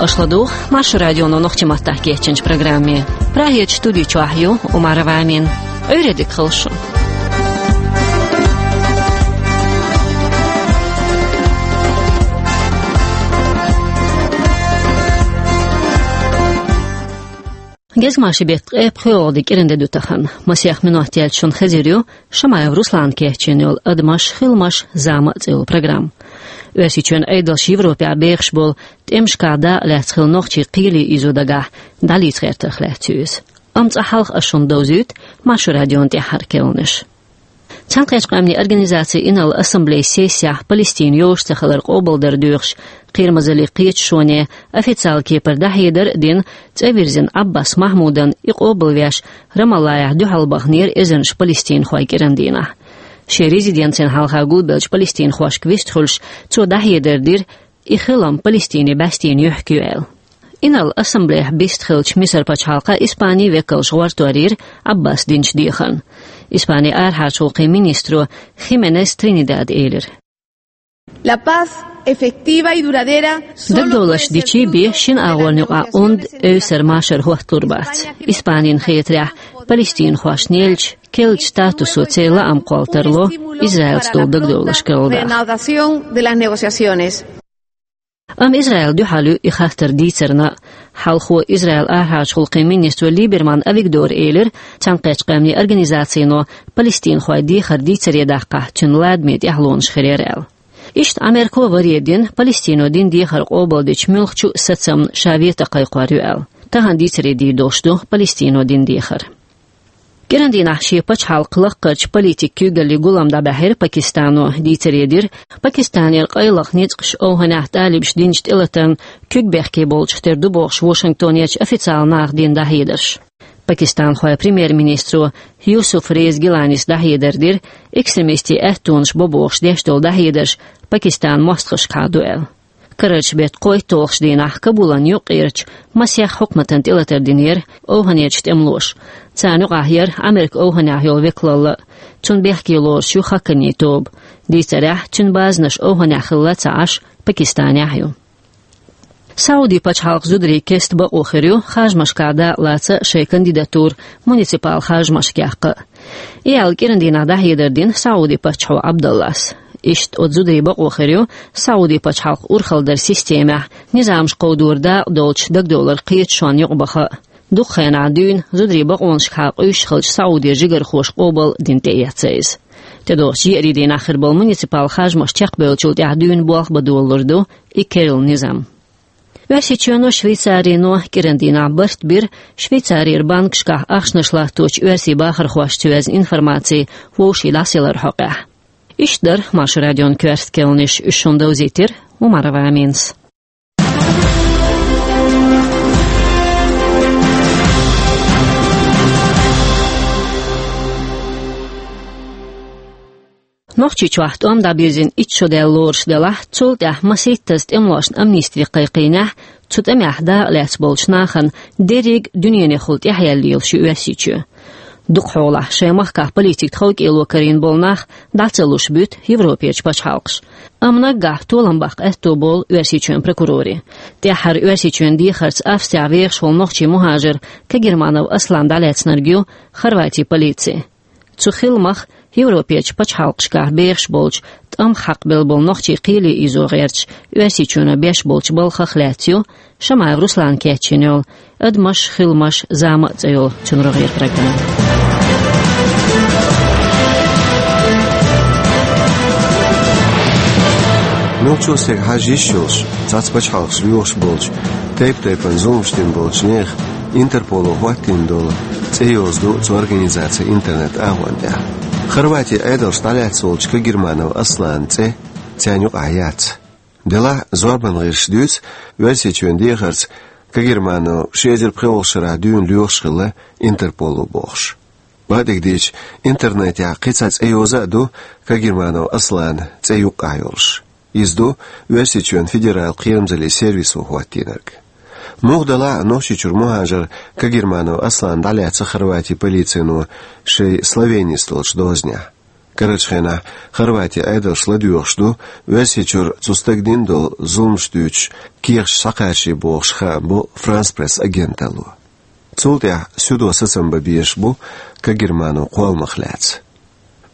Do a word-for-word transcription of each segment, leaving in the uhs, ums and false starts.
Аша ладугӀу Маршо радионо нохчийн маттахь кечйинчу программе. Прагерчу студи чохь ю Умарова Амина. Ӏуьйре дика хуьлда шун. Гезгмашин беттан ткъе пхоьалгӀа де кӀиранде ду тахана. Масех минот яьлча шуна хезар ю Шамаев Руслана кечйина йолу «Адамаш, хиламаш, зама» цӀе йолу программа. Оьрсийчоьнан Ӏедалша Европехь бехаш болу тӀемашкахь дакъа лаьцна хилла нохчийн кхеле ийзо дагахь дӀалаца гӀертарх лаьцна ю иза. Амма цкъа хьалха аса шуна довзуьйту Маршо радион тӀаьххьара керланаш. Цхьаьнакхеттачу Къаьмнийн Организацин Инарла Ассамблейн сессехь Палестина йозуш ца хилар къобалдар доьхуш, кхерамазаллин кхеташоне официалан кепара дӀахьедар а дина, цӀа вирзина Ӏаббас Махьмудан и къобалвеш Рамаллахь дуьхьал баханера эзарнаш палестинхой кӀиран дийнахь. Шен резиденцина хьалха гулбеллачу палестинхошка вистхуьлуш, цо дӀахьедар дира, и хилам Палестинан бӀаьстенан юьхь ю аьлла. Инарла Ассамблейхь бистхиллачу Мисар пачхьалкхан Испанин векалша гӀортор йира Ӏаббаса динчу дехарна. Испанин арахьарчу гӀуллакхийн министро Хименес Тринидада элира: La paz efectiva y duradera solo puede ser fruto de la negociación. Дагадовларш дичи бен шина агӀонна юкъахь онда эвсара машар хӀотталур бац. Испанин хетарехь, палестинхошна еллачу керла статусо церан лаам кхолла тарло Израилца долу дагадовларш карладаха. Amma Израил дуьхьал ю и хаттар дийцарна а. Хьалхо Израилан арахьарчу гӀуллакхийн министро Либерман Авигдора элира, Цхьаьнакхеттачу Къаьмнийн Организацино палестинхойн дехар дийцаре даккхахь, цуьнан ладаме тӀаьхьалонаш хир яра аьлла. Иштта Америко варе дина Палестино дина дехар къобалдича муьлххачу а сацамна ша вето кхайкхор ю аьлла. Тахана дийцаре дийр долуш ду Палестино дина дехар. КӀиран дийнахь шен пачхьалкхан лаккхарчу политикан куьйгаллин гулам дӀабаьхьира Пакистано. Дийцаре дира, Пакистанера къайлаха ницкъаш ОвхӀанехь талибаша динчу тӀелатарна куьг бехке болчух тера ду бохуш Вашингтонерчу официалан наха дина дӀахьедарш. Пакистанхойн премьер-министро Юсуф Реза Гиланис дӀахьедар дира, экстремистийн аьттонаш бо бохуш деш долу дӀахьедарш Пакистанан мостагӀашкахьа ду аьлла. Карарчу беттан кхойтталгӀачу дийнахь Кабулан юккъерчу масех хьукматана тӀелатар динера ОвхӀанерчу тӀемалоша. Царна юкъахь яра Американ ОвхӀанехь йолу векалалла а. Цунна бехке лоруш ю Хакани тоба. Дийцарехь, цуьнан базанаш ОвхӀанехь хилла ца Ӏаш, Пакистанехь ю. Саудин пачхьалкхан зударийн кеста бакъо хир ю харжамашкахь дакъа лаца шайн кандидатура муниципал харжамашка яккха а. И аьлла кӀиран дийнахь дӀахьедар дина Саудин паччахьо Ӏабдаллас. Иштта оцу зударийн бакъо хир ю Саудин пачхьалкхан урхаллин системехь низамаш кховдор дакъа долчу дагадовларан кхеташонна юкъабаха а. Дукха хенахь дуьйна зударийн бакъонашкахьа къуьйсуш хиллачу Саудин жигархоша къобал а дина тӀеэцна иза. ТӀедогӀучу еарин дийнахь хир болу муниципал харжамаш чекхбевллачул тӀаьхьа дуьйна болх бан долалур ду и керла низам. Оьрсийчоьно, Швейцарино кӀиран дийнахь барт бира Швейцарера банкашкахь ахчанаш латточу оьрсийн бахархошца йоьзна информаци вовшийн дӀасаяларан хьокъехь. Иштта дара Маршо радион коьрта керланаш, уьш шуна довзийтира Умарова Аминас. Нохчийчохь тӀом дӀабирзина итт шо даьлла лоруш делахь, цул тӀаьхьа масийттаза тӀемалошна амнисти кхайкхийнехь, цу тӀамехь дакъа лаьцна болчу нахана дерриг а дуьненехула тӀаьхьаяьлла лелаш ю Оьрсийчоь. Дукхахьолахь шайн махкахь политикан тховкӀело карийна болу нах дӀа ца луш буьту Европерчу пачхьалкхаша. Амма наггахь толам баккха аьтто болу Оьрсийчоьнан прокурорийн. ТӀаьххьара Оьрсийчоьнан дехарца Австрехь вехаш волу нохчийн мухӀажар Кагерманов Аслан дӀалаьцнарг ю Хорватин полици. Цу хиламах, Европерчу пачхьалкхашкахь бехаш болчу, тӀамах хьакхабелла болу нохчийн кхеле ийзо гӀерташ, Оьрсийчоьно беш болчу балхах лаьцна ю Шамаев Руслана кечйина йолу «Адамаш, хиламаш, зама» цӀе йолу цуьнан рогӀера программа. Муьлххачо стеган хьажа йиш йолуш, цхьацца пачхьалкхашка лоьхуш болчу, тайп-тайпана зуламаш дина болчу нехан Интерполо хӀоттийна долу цӀе йоза ду цу организацин интернет-агӀон тӀехь. Хорватин Ӏедалша дӀалаьцна волчу Кагерманов Асланан цӀе царна юкъахь яц. Делахь зорбан гӀирсаша дуьйцу, Оьрсийчоьнан дехарца Кагерманов ши эзар пхоьалгӀачу шарахь дуьйна лоьхуш хилла Интерполо бохуш. Бакъдерг дийцича, интернетехь кхин цхьа цӀе йоза а ду Кагерманов Асланан цӀе юккъехь йолуш. Иза ду Оьрсийчоьнан федералан кхерамзаллин сервисо хӀоттийнарг. Муха делахь а, Нохчийчуьра мухӀажар Кагерманов Аслан дӀалаьцна Хорватин полицино шайн Словенис долчу дозанехь. Карарчу хенахь Хорватин Ӏедалша ладоьгӀуш ду Оьрсийчуьра цу стага дина долу зуламаш дуьйцуш кехаташ схьакхачий бохуш, хаам бо Франс Пресс агенталло. Цул тӀаьхьа суьдо сацам бан безаш бу Кагерманов кхолламах лаьцна.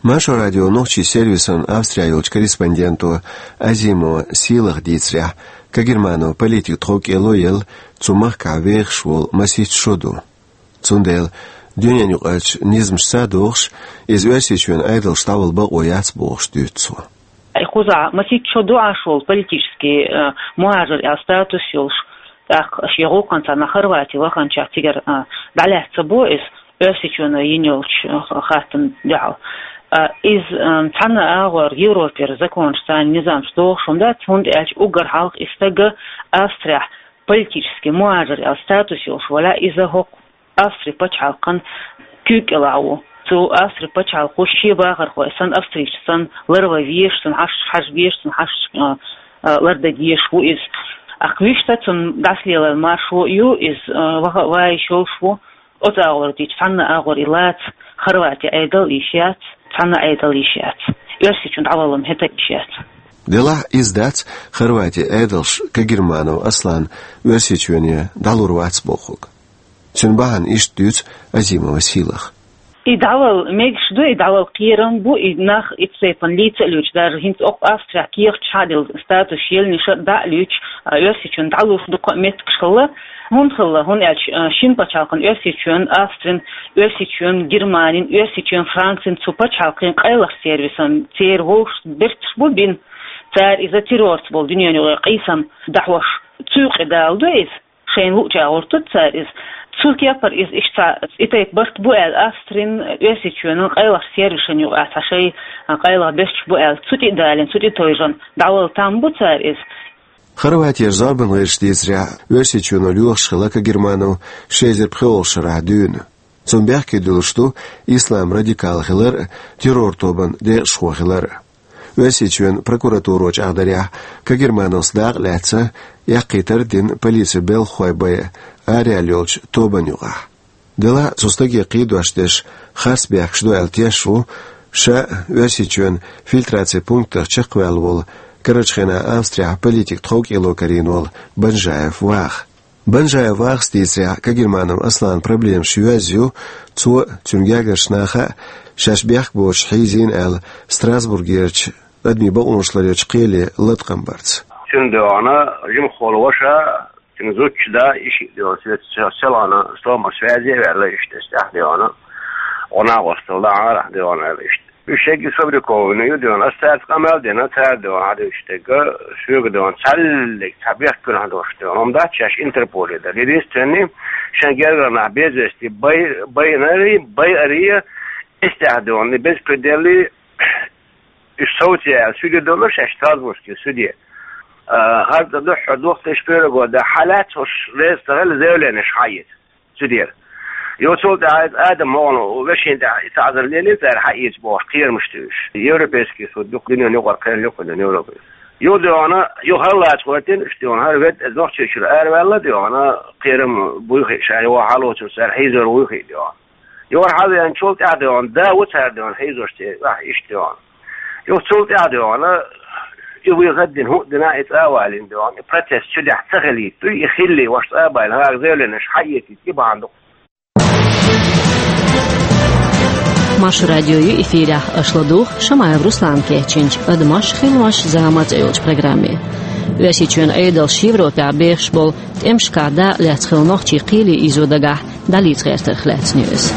Маршо радион нохчийн сервисан Австрехь йолчу корреспонденто Азимова Сийлаха дийцарехь, Кагерманов политик тхов кӀело елла цу махкахь вехаш волу масийтта шо ду. Цундела дуьненаюкъарчу низамашца а догӀуш, иза Оьрсийчоьнан Ӏедалша дӀавала бакъо яц бохуш дуьйцу цо. И кхузахь масийтта шо ду Ӏаш волу политический, э, мухӀажир аьлла статус йолуш, тӀаккха шен гӀуллакхана царна Хорвати ваханчохь цигара, э, дӀалаьцна ца бо иза Оьрсийчоьно йина йолчу, э, хаттарна дуьхьал. Э, иза, э, цхьана а агӀор Европера законаш, царна низамаш догӀуш хӀума дац, хӀунда аьлча уггар хьалха и стага Австрехь политический мухӀажир аьлла статус йолуш валахь, иза хӀокху Австри пачхьалкхан куьйга кӀелахь ву. Цу Австри пачхьалкхо шен бахархой санна, австрийцаш санна, ларван везаш, цунна хьашташ хьажа безаш, цунна хьашташ, а, а, лардан дезаш ву иза. Ахь вуьшта цунна дӀасалелар маршо а ю, иза, а, ваха а вайша йолуш ву. Оцу агӀор дийцча, цхьана а агӀор и лаца Хорвати Ӏедал йиш яц, цхьана а Ӏедал йиш яц. Оьрсийчун дӀаваллам хӀета йиш яц. Делахь иза дац Хорвати Ӏедалш Кагерманов Аслан Оьрсийчоьне дӀалур вац бохург. Цуьнан бахьана иштта дуьйцу Азимова Сийлаха. И дӀавала мегаш ду, и дӀавала кхерам бу, и нах итт сайпан лийца а луьйчу, даже хӀинца окху Австрехь кехаташ схьа а делла, статус еллачу шарахь дӀа а луьйчу, а, Оьрсийчоьнан дӀалуш дукха а меттигаш хилла, хӀунда хилла, хӀунда аьлча, а, шина пачхьалкхан Оьрсийчоьнан, Австрин, Оьрсийчоьнан, Германин, Оьрсийчоьнан, Францин, цу пачхьалкхийн къайлах сервисан церан вовшашца берташ бу бина, цара иза террорца болу дуьненан юкъа къийсам дӀахьош, цу юкъа дала ду иза. Шайна луъучу агӀор ту цара иза. Цу кепара иза иштта цхьа и тайпа барт бу аьлла, Австрин, Оьрсийчоьнан къайлах сервисашна юкъахь цхьа шайн къайлах берташ бу аьлла, цу тӀе а далийна, цу тӀе а тевжина, дӀавала там бу цара иза. Хорватера зорбан гӀирсаша дийцарехь, Оьрсийчоьно лоьхуш хилла Кагерманов ши эзар пхоьалгӀачу шарахь дуьйна. Цунна бехке дуьллуш ду ислам радикал хилар а, террор тобанан декъашхо хилар а. Оьрсийчоьнан прокуратуро чӀагӀдарехь, Кагермановс дакъа лаьцна, эккхийтар а дина полицин белхахой байъа араяьлла йолчу тобанна юкъахь. Делахь а цу стаге кхийдош дерш харц бехкаш ду аьлла тешаш ву ша Оьрсийчоьнан фильтрацин пунктах чекхваьлла волу, карарчу хенахь Австрехь политик тхов кӀело карийна волу Банжаев Ваха. Банжаев Вахас дийцарехь, Кагерманов Асланан проблемаш йоьзна ю, цо а, цуьнан гергарчу наха а шаьш бехк боцуш хьийзийна аьлла, Страсбургерчу адамийн бакъонаш ларъечу кхеле латкъам барца. Цуьнан дуьхьа жимахволу ваша, цуьнан зудчун да, и шиъ дуьхьа, селхана стомах связе а ваьлла иштта, тӀаьхьа дуьхьа, гӀо-накъосталла дӀа арахь дуьхьа аьлла иштта. Уьш шегга сфабрикованный ю дуьйна. Ас цаьрца къамел дина, цара дуьйна хьадуьйцуш дерг, соьга дуьйна, цхьаьллиг цхьа бехк куьнахь долуш дуьйна. Амма дац шаьш Интерполе дара. Единственный, шайн гергара нах безвести бай-, байнарий, байарий, эстехь дуьйна, и безпределлий, уьш совций аьлла, суьде долура шаьш Страсбургский суьде. А, хӀара тӀе дуьххьара дохтуш пирого да, хьалаьцна уьш реза ца хилла, заявленеш хьаэца. Цу дера. Йо, цул тӀаьхьа иза Адам ма вахана, вешина тӀехь и таӀзар лелийна цара хьаийца бохуш, кхерамаш туьйсуш. Европейский суд ю-кх, дуьненан юкъара кхел ю-кх Европе. Йо, дуьйна, йо, хӀара лаца гӀоьртина, уьш дуьйна, хӀара вет, нохчийчуьра араваьлла, дуьйна, кхерам буй хиъ ша, йо, хьалоцург цара хьийзор вуй хиъ, дуьйна. Йо, хӀара хьавеанчул тӀаьхьа, дуьйна, да ву цара, дуьйна, хьийзош церан, ахь иштта, дуьйна. Юха цул тӀаьхьа дуьйна, и вуй хаддина хӀуъа дина, и цӀа а валийна дуьйна, и протест цу дехьа ца хилийта дуй, и хилли, ваша цӀа а баьлла, хӀара заявленеш хьаэцийта, и бахьана ду. Маршо радио ю эфирехь, аша ладугӀу Шамаев Руслана кечйинчу «Адамаш, хиламаш, зама» цӀе йолчу программе. Оьрсийчоьнан Ӏедалша Европехь бехаш болу тӀемашкахь дакъа лаьцна хилла нохчий кхеле ийзо дагахь, дӀалаьцна гӀертарх лаьцна ю иза.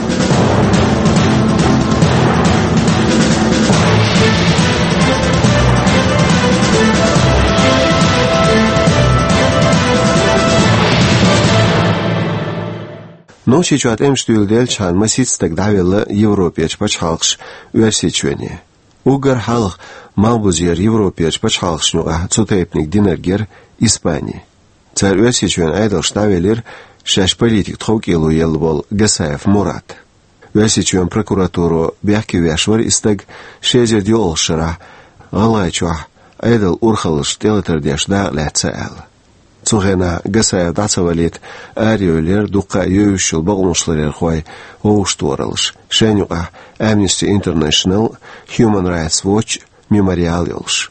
Нохчийчохь тӀемаш дуьйладелчхьана масийтта стаг дӀавелла Европерчу пачхьалкхаша Оьрсийчоьне. Уггар хьалха малхбузера Европерчу пачхьалкхашна юкъахь цу тайпаниг динарг яра Испани. Цара Оьрсийчоьнан Ӏедалша дӀавелира шаьш политик тхов кӀело елла волу Гасаев Мурат. Оьрсийчоьнан прокуратуро бехке веш вара и стаг ши эзар диъалгӀачу шарахь, ГӀалгӀайчохь Ӏедалан урхаллашна тӀелатар деш дакъа лаьцна аьлла. Цу хенахь Гасаев дӀа ца валийта арайолалера дуккха а йовзаш йолу бакъонашларъярхой вовшахтохараллаш, шайна юкъахь Amnesty International, Human Rights Watch, Мемориал йолуш.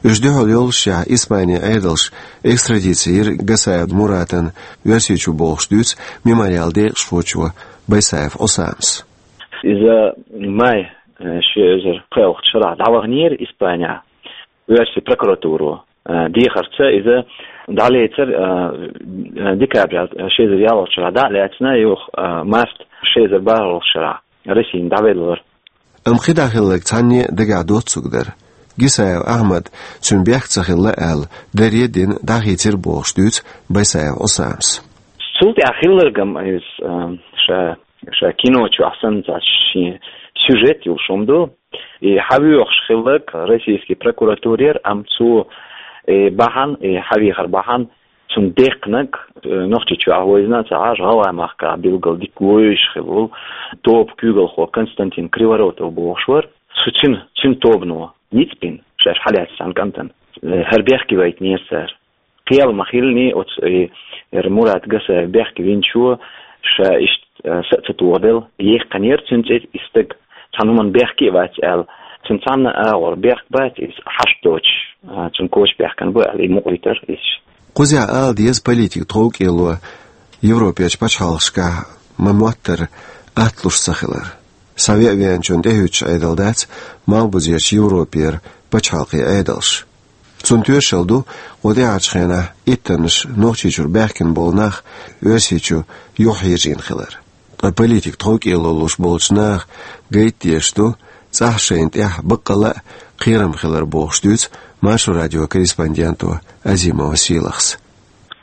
Уьш дуьхьал йоллушехь, Испанин Ӏедалша экстрадици йира Гасаев Муратана Оьрсийчу бохуш дуьйцу Мемориалан декъашхочо Байсаев Ӏусамас. Иза май, э, ши эзар пхоьалгӀачу шарахь дӀаваханера Испанехь оьрсийн прокуратуро. Э, дехарца иза дӀалецира, э, э, декабрь ши эзар ялхалгӀачу шарахь дӀа а лаьцна, юха, э, март ши эзар бархӀалгӀачу шарахь Россина дӀавелла вара. Амма кхидӀа хилларг цхьанне а дагахь доццуг дара. Гисаев Ахьмад, цуьнан бехк ца хилла аьлла, даре а дина, дӀахийцира бохуш дуьйцу Байсаев Ӏусамас. Цул тӀаьхьа хилларг-м иза, а, ша, ша кино чохь санна цхьа шен сюжет йолуш хӀума ду. И хьавоьхуш хилларг российский прокуратурера, амма цо, и бахьана, и хьавехар бахьана, цунна деккхинарг, э, Нохчийчохь вайзина ца Ӏаш, ГӀалгӀай махкахь билггал дика вевзаш хилла волу тоба куьйгалхо Константин Криворотов бохуш вара. Цу цуьнан, цуьнан тобано ницкъ бина, шаьш хьалаьцна цхьана кӀантана. Э, хӀара бехке вайтинера цара. Кхел ма хиллиний оцу, э, хӀара Мурат Гасаев бехке винчо, ша иштта, э, са а ца тохаделла, яьккхинера цуьнан цӀе и стаг, цхьана хӀуманна бехке а вац аьлла. Цуьнан цхьанна а агӀор бехк бац, иза хьашт доцуш, а, цуьнан коча баьхкина бу аьлла, и мукъайитира иза. Кхузахь ала деза политикан тховкӀело Европерчу пачхьалкхашкахь ма-моттара атта луш ца хилар. Схьавеа веанчунна тӀехӀуьттуш Ӏедал дац Малхбузерчу Европера пачхьалкхийн Ӏедалш. Цунна тоьшалла ду кху тӀаьхьарчу хенахь иттаннаш Нохчийчуьра баьхкина болу нах Оьрсийчу юхахьежийна хилар. Ткъа политикан тховкӀело луш болчу наха гайта дезаш ду цӀахь шайна тӀехь баккъалла а кхерам хилар, бохуш дуьйцу Маршо радион корреспонденто Азимова Сийлахьас.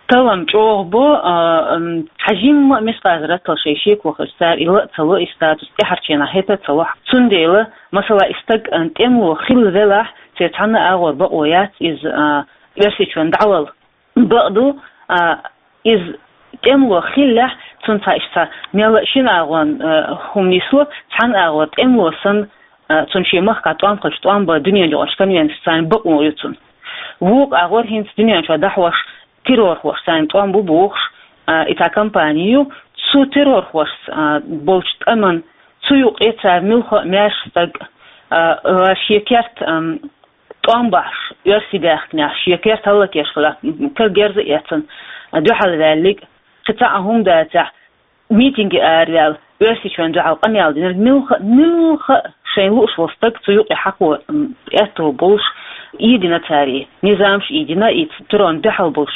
Талам чӀогӀа бу, а, м, хьажимма а мискъаза раттал шайн шеко хилча, цара и ла а ца ло, и статус тӀаьхьарчу хенахь хӀета а ца ло. Цундела, масала, и стаг, а, тӀемало хилла велахь, церан цхьанна а агӀор бакъо яц иза, а, Оьрсийчоьнна дӀавала. Бакъду, а, иза тӀемало хиллехь, цунна цхьа иштта мел а шина агӀор, а, хӀума нисло, цхьана агӀор тӀемало санна, а, цунна шен махкахь тӀом хилча тӀом бан дуьненаюкъарчу конвенцеш царна бакъо ю цунна. Вукху агӀор хӀинца дуьнен чохь дӀахьош террорхоша царна тӀом бу бохуш, а, и цхьа компани ю. Цу террорхошца, а, болчу тӀаман цу юкъе цара муьлхха а маьрша стаг, а, а, шен керта, ам, тӀом бахьаш, оьрсий баьхкинехь, шен керта хӀаллакеш хилла, кара герз а эцна, дуьхьал ваьллиг, кхин цхьа а хӀума дацахь, митинге араваьлла, Оьрсийчоьнна дуьхьал къамел динарг, муьлхха а, муьлхха а шайна лууш волу стаг цу юкъе хьакхо, м, аьтто болуш, ийдина цара и низамаш, ийдина и цу террорна дуьхьал болуш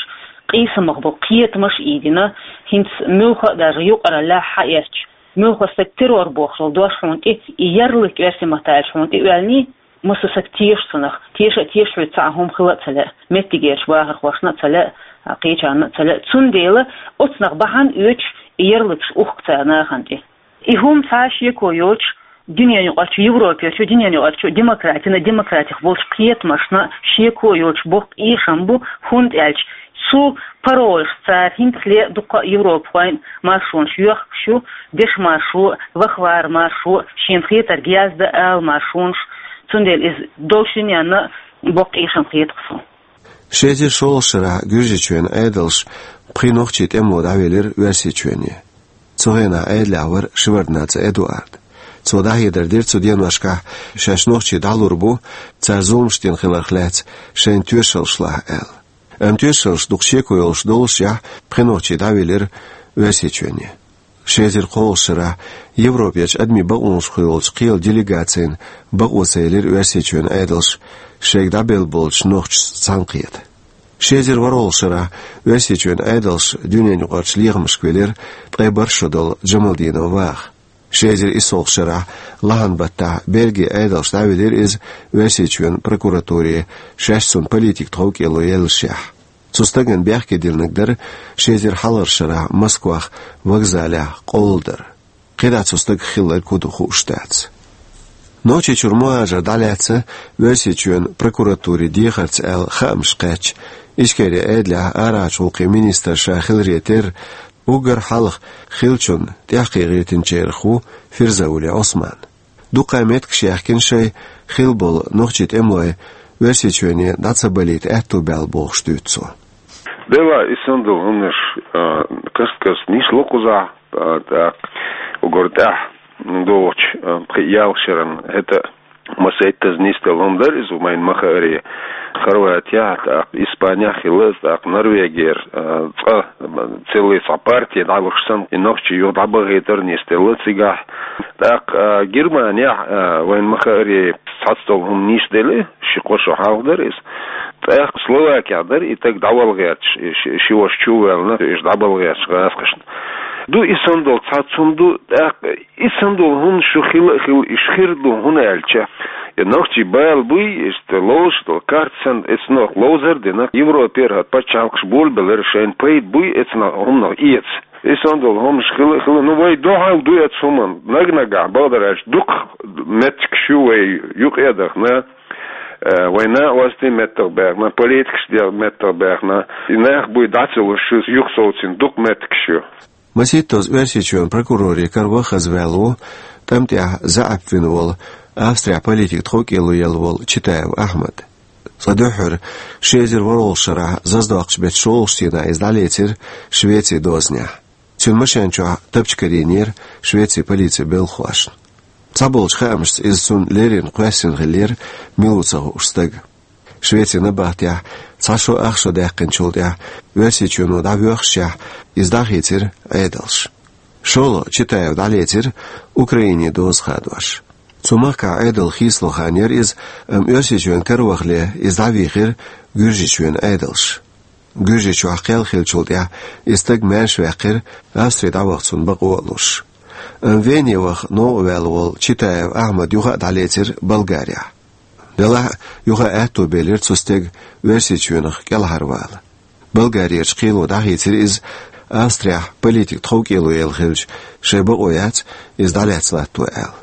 къийсамах болу кхетамаш ийдина, хӀинца муьлхха а даже юкъараллехь хьаэцча, муьлхха а стаг террор бохуш долу дош хьуна тӀе, и ярлык оьрсийн маттахь аьлча хьуна тӀе оьллиний, массо а стаг теша цунах, теша а теша хьоьца цхьа а хӀума хила а ца лаьа, меттигерчу бахархошна а ца лаьа, кхечарна а ца лаьа. Цундела оцунах бахьана оьцуш и ярлыкаш ухку цара нахана тӀе. И хӀума цхьа а шеко йоцуш, дуьненаюкъарчу Европерчу, дуьненаюкъарчу демократина, демократих болчу кхетамашна шеко йоцуш боккха эшам бу, хӀунда аьлча цу паролашца цара хӀинцале а дуккха а европахойн маршонаш йохкуш ю, дешан маршо, вахара маршо, шена хетарг яздан ала маршонаш, цундела иза долчу дуьненна боккха эшам хета-кх суна. Ши эзар шолгӀачу шарахь Гуьржийчоьнан Ӏедалша пхи нохчийн тӀемало дӀавелира Оьрсийчоьне. Цу хенахь Ӏедалехь вара Шеварднаца Эдуард. Цо дӀахьедар дира цу деношкахь, шаьш нохчий дӀалур бу, цара зуламаш дина хиларх лаьцна шайна тоьшаллаш лахь аьлла. Амма тоьшаллаш дукха шеко йолуш доллушехь, пхи нохчий дӀавелира Оьрсийчоьне. Ши эзар кхоалгӀачу шарахь Европерчу адамийн бакъонашкахула йолчу кхелан делегацина бакъо ца елира Оьрсийчоьнан Ӏедалша шайга дӀабелла болчу нохчашца цхьаьнакхета. Ши эзар ворхӀалгӀачу шарахь Оьрсийчоьнан Ӏедалша дуьненаюкъарчу лехамашка велира ткъе бархӀ шо долу Джамалдинов Ваха. Ши эзар иссалгӀачу шарахь лахьан баттахь Бельгин Ӏедалша дӀавелира иза Оьрсийчоьнан прокуратуре, шаьш цунна политикан тховкӀело еллашехь. Цу стагана бехке диллинарг дара ши эзар хьалхарчу шарахь Москвахь вокзалехь къовладар. КхидӀа цу стагах хилларг хӀун ду хууш дац. Нохчийчуьра мухӀажар дӀалаьцна Оьрсийчоьнан прокуратурин дехарца аьлла хаамаш кхаьчна Ичкерин Ӏедалехь арахьарчу гӀуллакхийн министр ша хиларе терра, уггар хьалха хиллачунна тӀекхийгӀийтинчарах ву Фирзаули Ӏусман. Дуккха а меттигаш яьхкина шайн хилла болу нохчийн тӀемалой Оьрсийчоьне дӀа ца балийта аьтто баьлла, бохуш дуьйцу цо. Делахь, и санна долу хӀуманаш, а, каст-каста нисло кхузахь, а, тӀаккха угар тӀехь догӀучу, а, пхи-ялх шеран хӀета масийттаза нисделла хӀума дара иза, вайна ма-хаъара. Хорватехь, тӀаккха Испанехь хилла иза, тӀаккха Норвегера, а, цкъа, а, целый цхьа партия дӀалуш санна, и нохчий юха дӀабахийтар нисделла цигахь. ТӀаккха, а, Германехь, а, вайна ма-хаъара, цхьацца долу хӀума нисделла, ши-кхо шо хьалха дара иза. ТӀаккха Словакехь дара и стаг дӀавала гӀерташ, и ши, ши ваша чу а ваьлла, уьш дӀабала гӀерташ гӀазкхашна. Ду и санна долу цхьацца хӀума ду, тӀаккха и санна долу хӀуманаш шу хилла а хилла, уьш хир ду, хӀунда аьлча, и нохчий бала буй, иштта ловзуш долу карта санна, эцнах ловзар а дина, Европера хӀара пачхьалкхаш болабелира, шайна пайда буй эцнах хӀуманах эца. И санна долу хӀуманаш хилла а хилла, ну, вай дуьхьал ду эцу хӀуманна, наг-нагахь, бакъдар аьлча, дукха меттигаш ю вай юкъа а дахана, э, вай накъостий меттах баьхна, политикаш де-, меттах баьхна, и нах буй дӀа ца луш, шу юхасовцийна дукха меттигаш ю. Масийттаза Оьрсийчоьнан прокурорийн кара ваха хаза ваьлла ву, тӀам тӀехь заьӀап вина волу, Австрехь политик тховкӀело елла волу Читаев Ахьмад. Цкъа дуьххьара, ши эзар ворхӀалгӀачу шарахь заздоккхучу беттан шолгӀачу дийнахь иза дӀалецира Швецин дозанехь. Цуьнан машен чохь тапча карийнера Швецин полицин белхахошна. Цхьаболчу хаамашца, иза цунна леррина кхоьссина хиллера мила ву ца хууш стаг. Швецин набахтехь цхьа шо ах шо даьккхинчул тӀаьхьа Оьрсийчоьно дӀавоьхушехь, иза дӀахийцира Ӏедалша. ШолгӀа Читаев дӀалецира Украинин доза хадош. Цу махкахь Ӏедал хийцало хан яра иза, амма Оьрсийчоьнан кара вахале иза дӀавийхира Гуьржийчоьнан Ӏедалша. Гуьржийчохь кхел хиллачул тӀаьхьа и стаг маьрша ваьккхира, Австри дӀаваха цунна бакъо а луш. Амма Вене ваха новкъа ваьлла волу Читаев Ахьмад юха а дӀалецира Болгарехь. Делахь а, юха а аьтто белира цу стеган Оьрсийчоьнах кӀелхьарвала. Болгарерчу кхело дӀахийцира иза, Австрехь политик тховкӀело елла хилча, шайн бакъо яц иза дӀалаьцна латто аьлла.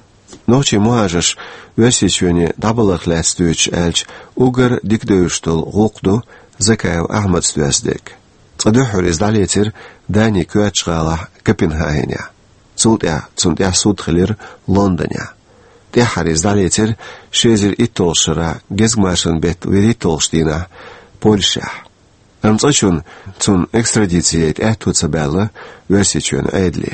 Нохчийн мухӀажарш Оьрсийчоьне дӀабаларх лаьцна дуьйцуш аьлча, уггар дика девзаш долу гӀуллакх ду Закаев Ахьмада доьзна дерг. Цкъа дуьххьара иза дӀалецира Данин коьртачу гӀалахь Копенгагенехь. Цул тӀаьхьа цунна тӀехь суд хилира Лондонехь. ТӀаьххьара иза дӀалецира ши эзар итталгӀачу шарахь гезгмашин беттан вуьрхӀитталгӀачу дийнахь Польшехь. Амма цкъа чунна цунна экстрадици яйта аьтто ца баьлла Оьрсийчоьнан Ӏедале.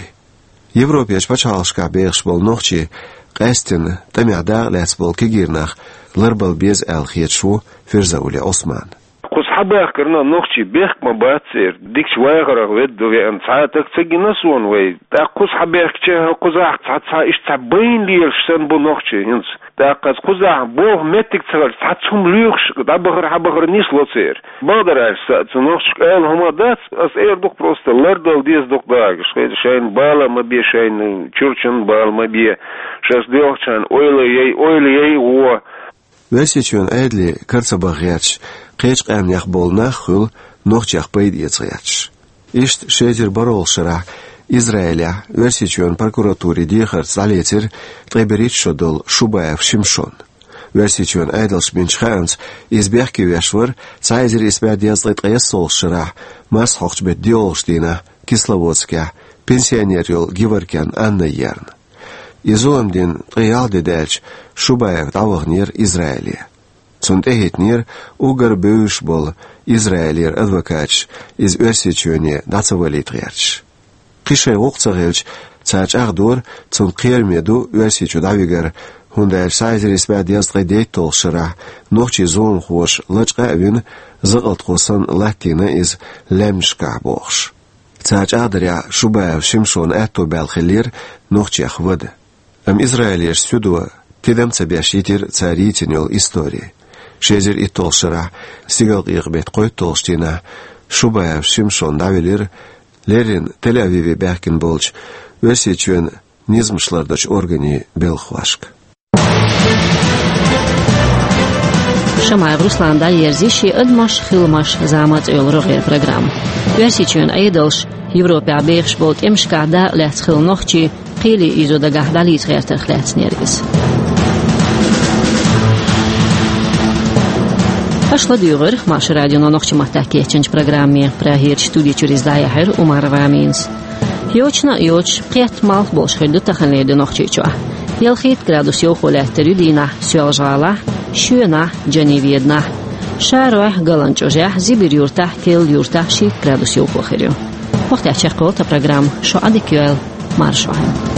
Европерчу пачхьалкхашкахь бехаш болу нохчий къаьсттина тӀамехь дакъа лаьцна болу кегийрхой ларбала беза аьлла хеташ ву Фирзаули Ӏусман. Кхуза схьабаьхкарна нохчий бехк ма бац церан, дикачу вахарх ведда ду веана цхьа а стаг ца гина суна вай. ТӀаккха кхуза схьабаьхкича, кхузахь цхьа, цхьа иштта цхьа байна лелаш санна бу нохчий хӀинца. ТӀаккха кхузахь болх меттиг ца хилча, цхьацца хӀума лоьхуш дӀабахар, схьабахар нисло церан. Бакъдар аьлча, сан цу нохчашка ала хӀума дац, ас эр ду-кх просто, лардала деза ду-кх дагахь, шайна бала ма бе, шайна чурчан бала ма бе, шаьш доьлхучарна ойла яй, ойла яй гӀо. Оьрсийчоьнан Ӏедале кара ца баха гӀерташ, кхечу къаьмнех болу нах а хуьлу нохчех пайда эца гӀерташ. Иштта ши эзар бархӀалгӀачу шарахь Израилехь Оьрсийчоьнан прокуратурин дехарца дӀалецира ткъе берхӀитта шо долу Шубаев Шимшон. Оьрсийчоьнан Ӏедалша бинчу хаамца, иза бехке веш вара цхьа эзар исс бӀе дезткъе ткъайоьсналгӀачу шарахь, марсхьокхучу беттан диъалгӀачу дийнахь, Кисловодскехь пенсионер йолу Геворкян Анна ерна. И зулам дина ткъе ялх де даьлча, Шубаев дӀаваханера Израиле. Цунна тӀехӀиттинера уггар бевзаш болу Израилера адвокаташ, иза Оьрсийчоьне дӀа ца валийта гӀерташ. Кхин шайн гӀуллакх ца хилча, цара чӀагӀдора, цунна кхераме ду Оьрсийчу дӀавигар, хӀунда аьлча цхьа эзар исс бӀе дезткъе дейтталгӀачу шарахь нохчийн зуламхоша лачкъа а вина, закъалтхо санна латтийна иза лаьмнашкахь бохуш. Цара чӀагӀдарехь, Шубаев Шимшона аьтто баьлла хиллера нохчех вада. Амма Израилерчу суьдо тидам ца беш йитира цара йийцина йолу истори. Ши эзар итталгӀачу шарахь, стигалкъекъа беттан кхойтталгӀачу дийнахь, Шубаев Шимшон дӀавелира леррина Тель-Авиве баьхкина болчу Оьрсийчоьнан низамаш лардечу органийн белхахошка. Шамаев Руслана дӀаерзийша шен «Адамаш, хиламаш, зама» цӀе йолу рогӀера программа. Оьрсийчоьнан Ӏедалша Европехь бехаш болу тӀемашкахь дакъа лаьцна хилла нохчий кхеле ийзо дагахь дӀалийца гӀертарх лаьцнера иза. Аша ладуьйгӀира Маршо радионо нохчийн маттахь кечйинчу программе. Прагерчу студи чуьра иза дӀаяьхьира Умарова Аминас. Йочана а йоцуш, кхетта малх болуш хир ду таханлера де Нохчийчохь. Ялхитта градус йовхо лаьттар ю дийнахь Соьлжа-ГӀалахь, Шоьнахь, Джаневеданахь. Шарахь, Галанчожахь, Зибир-Юртахь, Кел-Юртахь ши градус йовхо хир ю. Вахтехь чекхвелла тхан программа. Шо Ӏадика йойла, маршо хьан.